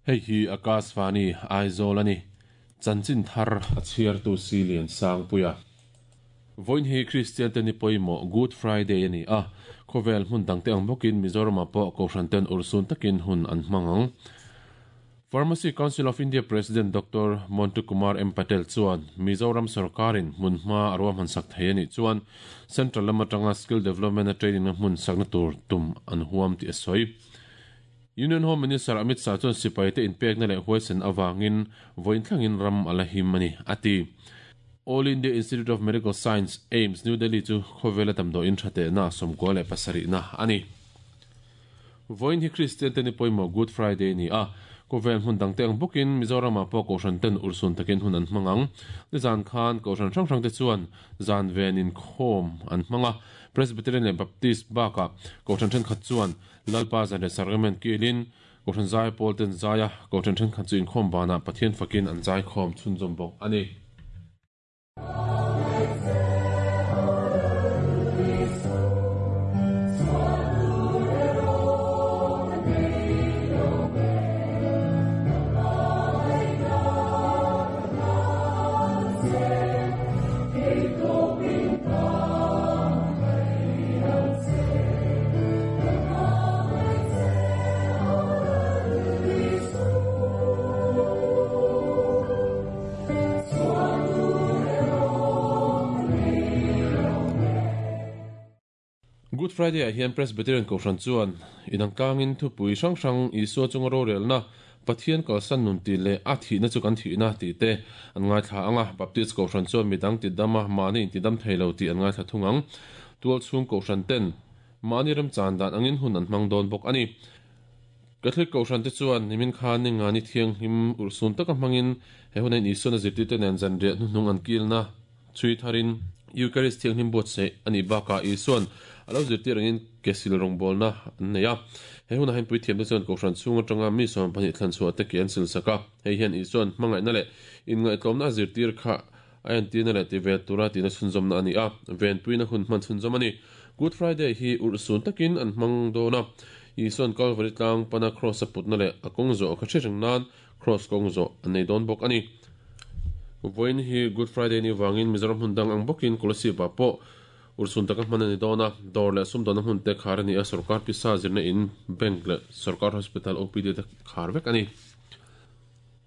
Hei hi Akashvani, Aizawl a ni. Chanchin thar a chhiartu Silian Sangpuia. Vawiin hi Kristian te ni pawimawh Good Friday a ni a, khawvel hmun dangte ang bawkin Mizoramah pawh Kohhran ten urhsun takin hun an hmang ang. Pharmacy Council of India President Doctor Montu Kumar M Patel chuan Mizoram sorkarin hmun hma a ruahman sak thei a nih chuan Central lam atanga skill development a training na hmun sakna tur tum an huam tih a sawi. Union Home Minister Amit Shah chuan sipaite inpekna leh huaisen avangin vawiin thlengin ram a la him a ni, a ti. All India Institute of Medical Science, AIIMS, New Delhi chu khawvela damdawiin tha tehna 97 na a ni. Vawiin hi Kristian te ni pawimawh Good Friday a ni a, khawvel hmun dangte ang bawkin Mizoramah pawh Kohhran ten urhsun takin hun an hmang ang. Nizan khan Kohhran hrang hrangte chuan zan ven inkhawm an hmang a, Presbyterian leh Baptist bakah Kohhran thenkhat chuan Lalpa zan leh Sacrament kilin Kohhran zai pawl ten zai a, Kohhran thenkhat chu inkhawm banah Pathian fakin an zaikhawm chhunzawm bawk a ni. Good Friday ah hian Presbyterian Kohhran chuan inang tlangin thupui hrang hrang Isua chunga rorelna, Pathian kalsan nun tih leh a thihna chu kan thihna tih te an ngaithla ang a, Baptist Kohhran chuan midang tidama mahni intidam thei lo tih an ngaithla thung ang. Tualchhung Kohhran ten Mahni remchan dan angin hun an hmang dawn bawk a ni. Catholic Kohhran te chuan nimin khan Ningani thianghlim urhsun taka hmangin he huna in Isuana zirtirte nen zanriah hnuhnung an kilna chhui tharin Eucharist thianghlim buatsaih a nih bakah Isuan a lo zirtir angin kesil rawngbawlna an nei a. He hunah hian puithiamte chuan Kohhran chhung atanga mi 12 thlan chhuah te ke an silsak a. Hei hian Isuan hmangaihna leh inngaihtlawmna a zirtir kha A entirna leh ti ve tura tihna chhunzawmna a ni a, venpuina hun hman chhunzawm a ni. Good Friday hi urhsun takin an hmang dawn a, Isua'n Kalvari tlang pana Kraws a putna leh a kawng zawh kha hre reng nan Kraws kawng zawh an nei dawn bawk a ni. Vawiin hi Good Friday ni vangin Mizoram hmun dang ang bawkin Kolasib-ah pawh urhsun taka hman a ni dawn a, dawr leh sumdawnna hmun te khar a ni a, sorkar pisa zirna in, bank leh sorkar hospital OPD te khar vek a ni.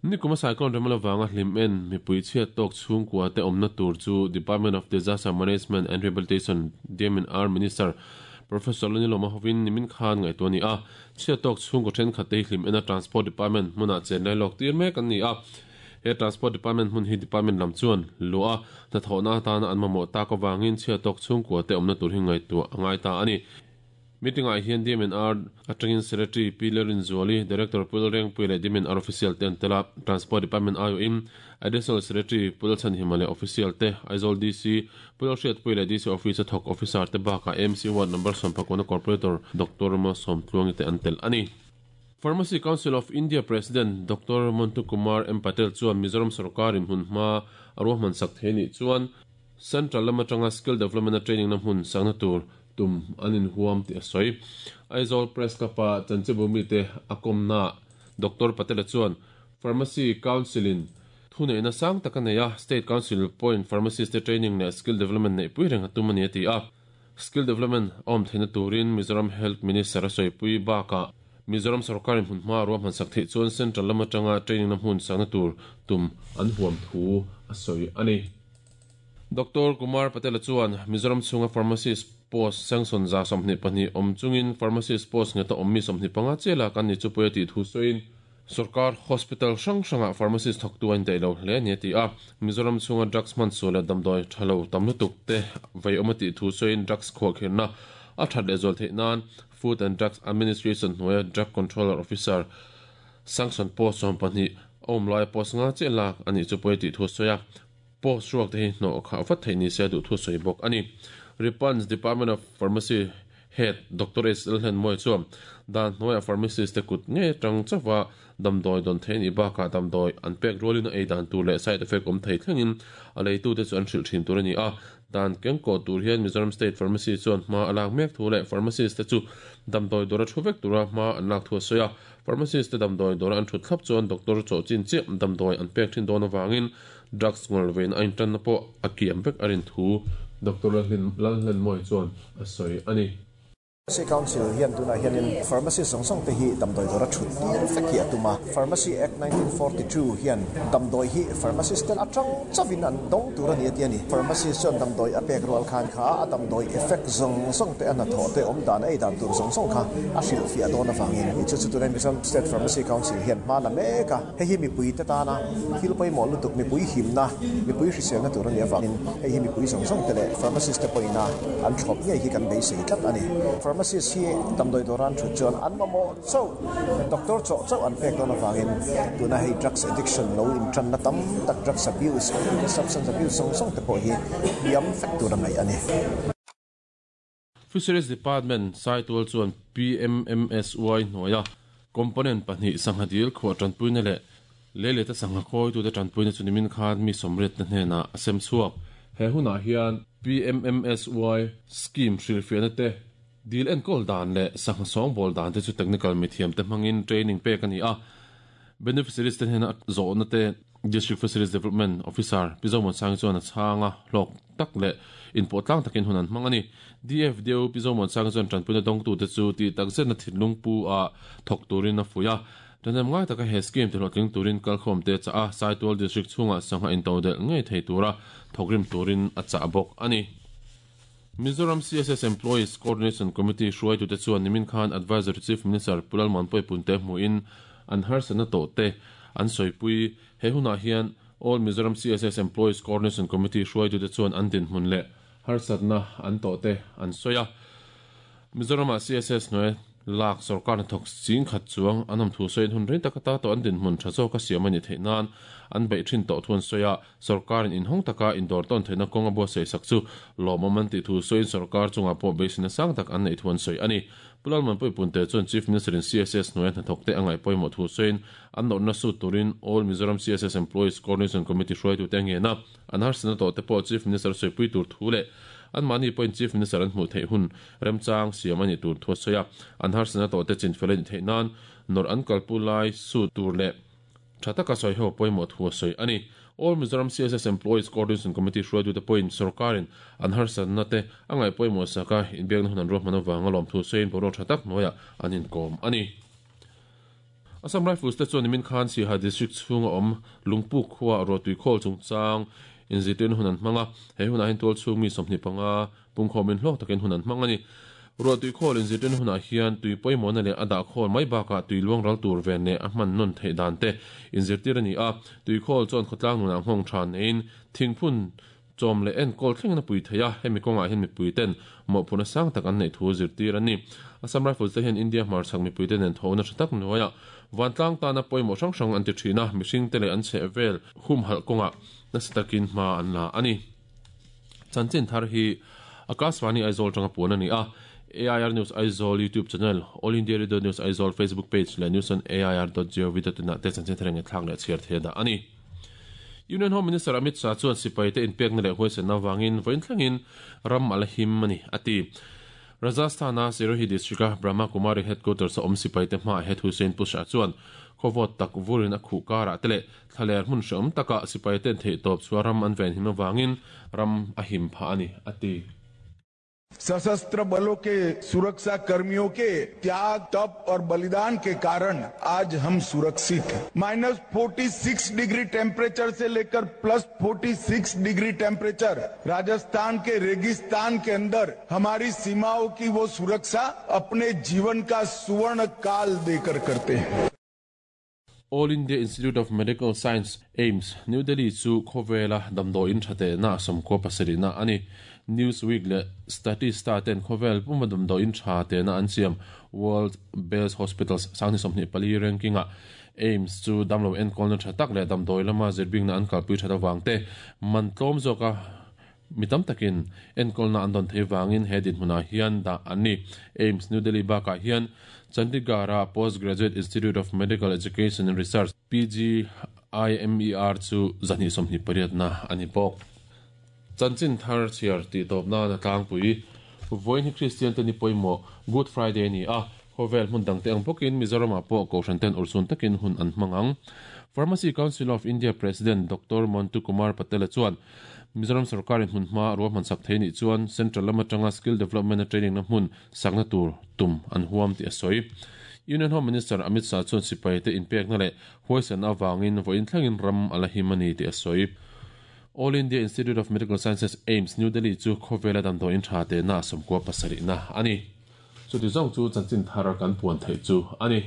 Nikuma Cyclone Remal avanga hlim en mipui chhiat tawk chhungkua te awmna tur chu Department of Disaster Management and Rehabilitation, DMNR, Minister Professor Lanilawma hovin nimin khan ngaihtuah a ni a. Chhiat tawk chhungkaw thenkhat te hi hlim ena Transport Department hmunah chen lai lawk tir mek an ni a. He Transport Department hmun hi Department lam chuan luah a hnathawhna atana an mamawh tak avangin chhiat tawk chhungkua te awmna tur hi ngaihtuah a ngai ta a ni. Meeting-ah hian DMNR atangin Secretary Pi Lalrinzuali, Director Pu Lalrengpuia leh DMNR official te an tel a, Transport Department aiawhin Additional Secretary Pu Lalchhanhima leh official te, Aizawl DC Pu Lalhriatpuia leh DC Office a thawk officer te bakah AMC Ward Number 19 Corporator Doctor Malsawmtluangi te an tel a ni. Pharmacy Council of India President Doctor Montu Kumar M Patel chuan Mizoram sorkarin hmunhma a ruahman sak thei nih chuan Central lam atanga skill development a training na hmun sakna tur tum an inhuam tih a sawi. Aizawl Press Club-a chanchinbu mite a kawmnaah Doctor Patel-a chuan Pharmacy Council-in thuneihna sang tak a nei a, State Council pawhin pharmacist te training leh skill development neihpui reng a tum a ni a ti a. Skill development a awm theihna turin Mizoram Health Minister a sawipui bakah Mizoram sorkarin hmunhma a ruahman sak theih chuan Central lam atanga training na hmun sakna tur tum an huam thu a sawi a ni. Doctor Kumar Patel-a chuan Mizoram chhunga pharmacist post sanction 22 awm chungin pharmacist post ngheta awm mi 25 chiah lak an ni chu pawi a tih thu sawiin sorkar hospital hrang hrangah pharmacist thawktu a indaih lo hle a ni a ti a. Mizoram chhunga drugs hman sual leh damdawi tha lo tam lutuk te vei awm a tih thu sawiin drugs khuahkhirhna a that leh zual theih nan Food and Drugs Administration hnuaia Drug Controller Officer sanction post 12 a awm laia post nga chiah lak a nih chu pawi a tih thu a sawi a. Post ruak te hi hnawh khah vat theih ni se a duh thu sawi bawk a ni. Ripans Department of Pharmacy Head Doctor H Lalhlenmawia chuan dan hnuaiah pharmacist te kut ngei atang chauha damdawi dawn thei a nih bakah damdawi an pek rualin a ei dan tur leh side effect awm thei thlengin a leitute chu an hrilh thin tur a ni a. Dan kengkawh tur hian Mizoram State Pharmacy chuan hma a lak mek thu leh pharmacist te chu damdawi dawra thu vek tura hma an lak thu a sawi a. Pharmacist te damdawi dawra an thut thlap chuan doctor chawh chin chiah damdawi an pek thin dawn avangin drugs ngawl vein a intanna pawh a kiam vek a rin thu Doctor Lalhlenmawii chuan a sawi a ni. Pharmacy Council hian tunah hianin pharmacist zawng zawng te hi damdawi dawra thut tir vek hi a tum a. Pharmacy Act 1942 hian damdawi hi pharmacist te atang chauhin an dawng tur a ni a ti a ni. Pharmacist chuan damdawi a pek rual khan kha a damdawi effect zawng zawng te a hnathawh te awm dan a ei dan tur zawng zawng kha a hrilhfiah dawn avangin chu chu tunah Mizoram State Pharmacy Council hian hma la mek a. Hei hi mipui te tana thil pawimawh lutuk, mipui himna, mipui hriselna tur a nih avangin hei hi mipui zawng zawng te leh pharmacist te pawhina an thlawp ngei hi kan beisei tlat a ni. Pharmacist hi damdawi dawra an thut chuan an mamawh chauh, doctor chawh chauh an pek dawn avangin tuna hei drugs addiction lo intanna tam tak, drugs abuse, substance abuse zawng zawng te pawh hi hniam vek tur a ngaih a ni. Fisheries Department Saitual chuan PMMSY hnuaia component pahnih sangha dil khuah tanpuina leh leileta sangha khawitute tanpuina chu nimin khan mi sawmriatna hnenah a sem chhuak. He hunah hian PMMSY scheme hrilhfiahna te, dil enkawl dan leh sangha sawngbawl dan te chu technical mithiamte hmangin training pek a ni a. Beneficiaries te hnena zawhna te District Fisheries Development Officer Pi Zomuansangi chuan a chhang a, hlawk tak leh inpawh tlang takin hun an hmang a ni. DFDO Pi Zomuansangi chuan tanpuina dawngtute chu tih takzetna thinlung pu ah thawk turin a fuih a. Ṭhahnem ngai taka he scheme tihlawhtling turin kalkhawmte a chah a, Saitual District chhungah sangha intodelh ngei thei tura thawkrim turin a chah bawk a ni. Mizoram CSS Employees Coordination Committee hruaitute chuan nimin khan Adviser to Chief Minister Pu Lalmuanpuii Punte hmuhin an harsatna tawhte an sawipui. He hunah hian All Mizoram CSS Employees Coordination Committee hruaitute chuan an dinhmun leh harsatna an tawhte an sawi a. Mizoramah CSS hnuai lak sorkar hnathawk ching khat chuang an awm thu sawiin hun rei tak ata tawh an dinhmun tha zawka siam a nih theih nan an beih thin tawh thu an sawi a, sorkarin inhawng taka indawr tawn theihna kawng a buatsaih sak chu lawmawm an tih thu sawiin sorkar chungah pawh beiseina sang tak an neih thu an sawi a ni. Pu Lalmanpuii Punte chuan Chief Minister-in CSS hnuaia hnathawkte a ngaih pawimawh thu sawiin an nawrhna sut turin All Mizoram CSS Employees Coordination Committee hruaitute a ngen a, an harsatna tawhte pawh Chief Minister sawipui tur thu leh anmahni pawhin Chief Minister an hmuh theih hun Remchang siam a nih tur thu a sawi a, an harsatna tawhte chinfel a nih theih nan nawrh an kalpu lai sut tur leh tha taka sawi ho pawimawh thu a sawi a ni. All Mizoram CSS Employees Coordination Committee hruaitute pawhin sorkarin an harsatna te a ngaih pawimawh sak a, inbiakna hun an ruahman avanga lawmthu sawiin boruak tha tak hnuaiah an inkawm a ni. Assam Rifles te chuan nimin khan Siaha District chhunga awm Lungpuk khuaah ruahtui khawl chungchang inzirtirna hun an hmang a, he hunah hian tualchhung mi 25 pungkhawmin hlawk takin hun an hmang a ni. Ruahtui khawl inzirtirna hunah hian tui pawimawhna leh a dah khawl mai bakah tui luang ral tur ven leh a hman nawn theih dan te inzirtir a ni a, tui khawl chuan khawtlang nunah nghawng tha neiin thingphun Chawm leh enkawl thlengin a pui thei a, hemi kawngah hian mipuiten mawhphurhna sang tak an neih thu zirtir an ni. Assam Rifles te hian India hmarchhak mipuite nen thawhna tha tak hnuaiah vantlang tana pawimawh hrang hrang an ti thin a, mihringte leh an chhehvel humhalh kawngah nasa takin hma an la a ni. Chanchin thar hi Akashvani Aizawl atanga puan a ni a, AIR News Aizawl YouTube channel, All India Radio News Aizawl Facebook page leh news on air dot gov dot in ah te chanchin thar engngaihthlak leh chhiar thei a dah a ni. Union Home Minister Amit Shah chuan sipaite inpekna leh huaisenna avangin vawiin thlengin ram a la him a ni, a ti. Rajasthan-a Sirohi district-a Brahma Kumari headquarters-a awm sipaite hmaah he thu sawiin Pu Shah chuan khawvawt tak vurin a khuh karah te leh thlaler hmun hrehawm takah sipaite'n theihtawp chhuah ram an venhim avangin ram a him phah a ni, a ti. सशस्त्र बलों के सुरक्षा कर्मियों के त्याग तप और बलिदान के कारण आज हम सुरक्षित हैं। Minus forty degree temperature से लेकर plus forty degree temperature Rajasthan के रेगिस्तान के अंदर हमारी सीमाओं की वो सुरक्षा अपने जीवन का सुवर्ण काल देकर करते हैं। All India Institute of Medical Science, AIIMS, New Delhi chu khawvela damdawiin tha tehna 97 na a ni. Newsweek leh Statista ten khawvel puma damdawiin tha tehna an siam World Best Hospitals 2024 ranking-ah AIIMS chu damlo enkawlna tha tak leh damdawi lama zirbingna an kalpui that avang te man tlawm zawka Mi tam takin enkawlna an dawn thei vangin he dinhmunah hian dah an ni. AIIMS New Delhi bakah hian Chandigarh-a Post Graduate Institute of Medical Education and Research, PGIMER, chu 128 na a ni bawk. Chanchin thar chhiar tih tawp nan a tlangpui. Vawiin hi Kristian te ni pawimawh Good Friday a ni a. Khawvel hmun dangte ang bawkin Mizoramah pawh kohhran ten urhsun takin hun an hmang ang. Pharmacy Council of India President Doctor Montu Kumar Patel-a chuan Mizoram sawrkarin hmunhma ruahman sak thei nih chuan Central lam atanga skill development-a training-na hmun sakna tur tum an huam tih a sawi. Union Home Minister Amit Shah chuan sipaite inpekna leh huaisanna avangin vawiin thlengin ram a la him a ni tih a sawi. All India Institute of Medical Sciences, AIIMS, New Delhi chu khawvela damdawiin tha tehna a 97 na a ni. Chuti zawng chu chanchin thar kan puan theih chu a ni.